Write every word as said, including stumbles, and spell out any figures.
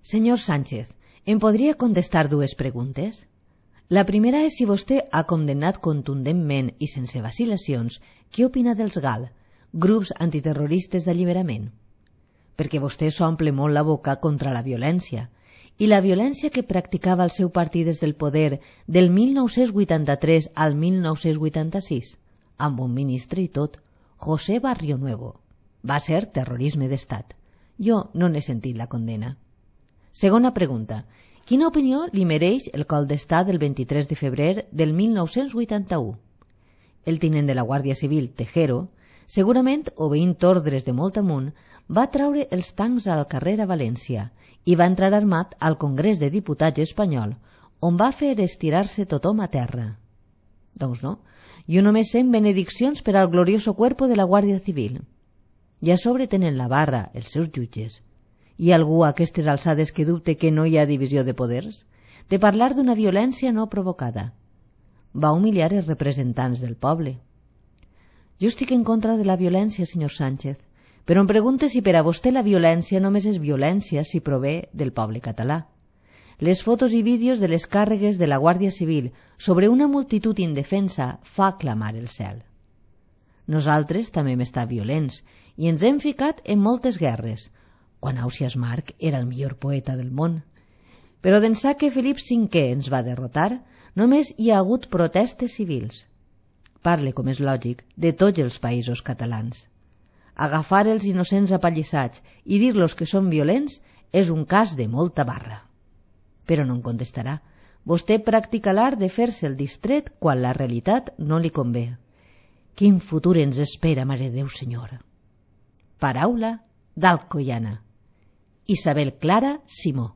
Senyor Sánchez, em podria contestar dues preguntes? La primera és si vostè ha condemnat contundentment i sense vacil·lacions què opina dels G A L, grups antiterroristes d'alliberament. Perquè vostè s'omple molt la boca contra la violència, i la violència que practicava el seu partit des del poder del mil nou-cents vuitanta-tres al mil nou-cents vuitanta-sis, amb un ministre i tot, José Barrio Nuevo. Va ser terrorisme d'estat. Jo no n'he sentit la condena. Segona pregunta. Quina opinió li mereix el cop d'estat del vint-i-tres de febrer del mil nou-cents vuitanta-u? El tinent de la Guàrdia Civil, Tejero, segurament obeint ordres de molt amunt, va traure els tancs al carrer a València i va entrar armat al Congrés de Diputats espanyol, on va fer estirar-se tothom a terra. Doncs no, jo només sent benediccions per al glorioso cuerpo de la Guàrdia Civil. I a sobre tenen la barra els seus jutges. Hi ha algú a aquestes alçades que dubte que no hi ha divisió de poders? De parlar d'una violència no provocada. Va humiliar els representants del poble. Jo estic en contra de la violència, senyor Sánchez, però em pregunte si per a vostè la violència només és violència si prové del poble català. Les fotos i vídeos de les càrregues de la Guàrdia Civil sobre una multitud indefensa fa clamar el cel. Nosaltres també hem estat violents i ens hem ficat en moltes guerres, quan Ausiàs Marc era el millor poeta del món. Però d'ençà que Felip cinquè ens va derrotar, només hi ha hagut protestes civils. Parle, com és lògic, de tots els països catalans. Agafar els innocents apallissats i dir-los que són violents és un cas de molta barra. Però no em contestarà. Vostè practica l'art de fer-se el distret quan la realitat no li convé. Quin futur ens espera, Mare de Déu, senyora. Paraula d'Alcoiana. Isabel Clara Simó.